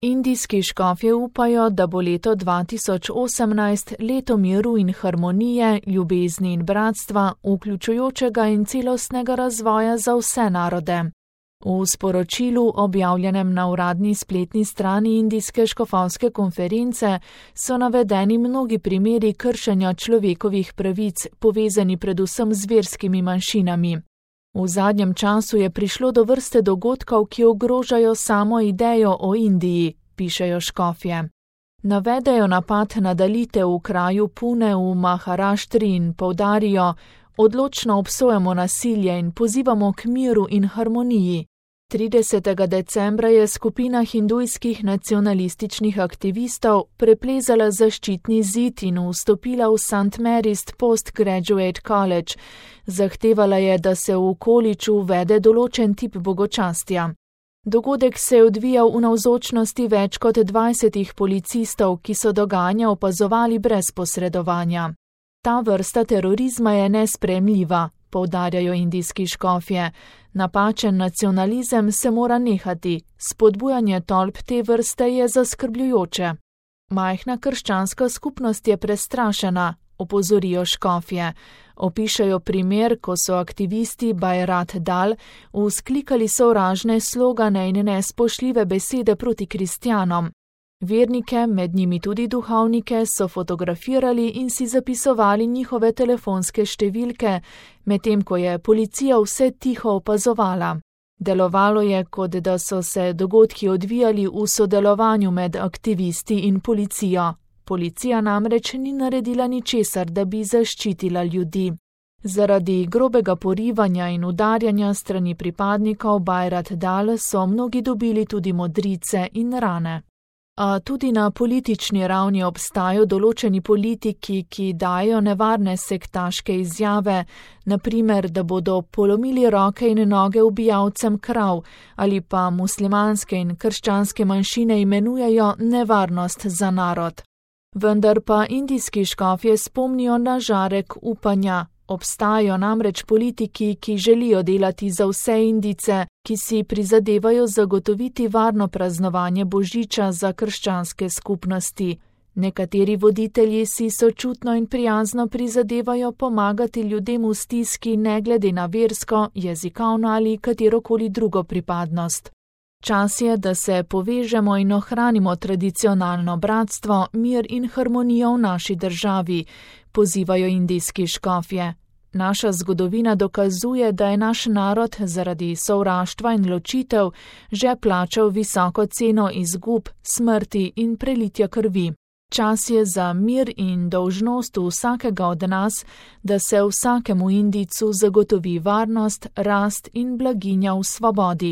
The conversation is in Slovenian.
Indijski škofje upajo, da bo leto 2018 leto miru in harmonije, ljubezni in bratstva, vključujočega in celostnega razvoja za vse narode. V sporočilu, objavljenem na uradni spletni strani Indijske škofovske konference, so navedeni mnogi primeri kršenja človekovih pravic, povezani predvsem z verskimi manjšinami. V zadnjem času je prišlo do vrste dogodkov, ki ogrožajo samo idejo o Indiji, pišejo škofje. Navedejo napad na dalite v kraju Pune v Maharaštri in poudarijo: odločno obsojamo nasilje in pozivamo k miru in harmoniji. 30. decembra je skupina hindujskih nacionalističnih aktivistov preplezala zaščitni zid in vstopila v St. Mary's Postgraduate College. Zahtevala je, da se v kolidžu uvede določen tip bogočastja. Dogodek se je odvijal v navzočnosti več kot 20 policistov, ki so dogajanje opazovali brez posredovanja. Ta vrsta terorizma je nesprejemljiva, poudarjajo indijski škofje. Napačen nacionalizem se mora nehati, spodbujanje tolp te vrste je zaskrbljujoče. Majhna krščanska skupnost je prestrašena, opozorijo škofje. Opišajo primer, ko so aktivisti Bajrat Dal vzklikali sovražne slogane in nespoštljive besede proti kristjanom. Vernike, med njimi tudi duhovnike, so fotografirali in si zapisovali njihove telefonske številke, medtem ko je policija vse tiho opazovala. Delovalo je, kot da so se dogodki odvijali v sodelovanju med aktivisti in policijo. Policija namreč ni naredila ničesar, da bi zaščitila ljudi. Zaradi grobega porivanja in udarjanja strani pripadnikov Bajrat Dal so mnogi dobili tudi modrice in rane. A tudi na politični ravni obstajajo določeni politiki, ki dajo nevarne sektaške izjave, naprimer, da bodo polomili roke in noge ubijalcem krav, ali pa muslimanske in krščanske manjšine imenujejo nevarnost za narod. Vendar pa indijski škofje spomnijo na žarek upanja. Obstajajo namreč politiki, ki želijo delati za vse Indijce, ki si prizadevajo zagotoviti varno praznovanje Božiča za krščanske skupnosti. Nekateri voditelji si sočutno in prijazno prizadevajo pomagati ljudem v stiski ne glede na versko, jezikovno ali katerokoli drugo pripadnost. Čas je, da se povežemo in ohranimo tradicionalno bratstvo, mir in harmonijo v naši državi, pozivajo indijski škofje. Naša zgodovina dokazuje, da je naš narod zaradi sovraštva in ločitev že plačal visoko ceno izgub, smrti in prelitja krvi. Čas je za mir in dolžnost vsakega od nas, da se vsakemu Indijcu zagotovi varnost, rast in blaginja v svobodi.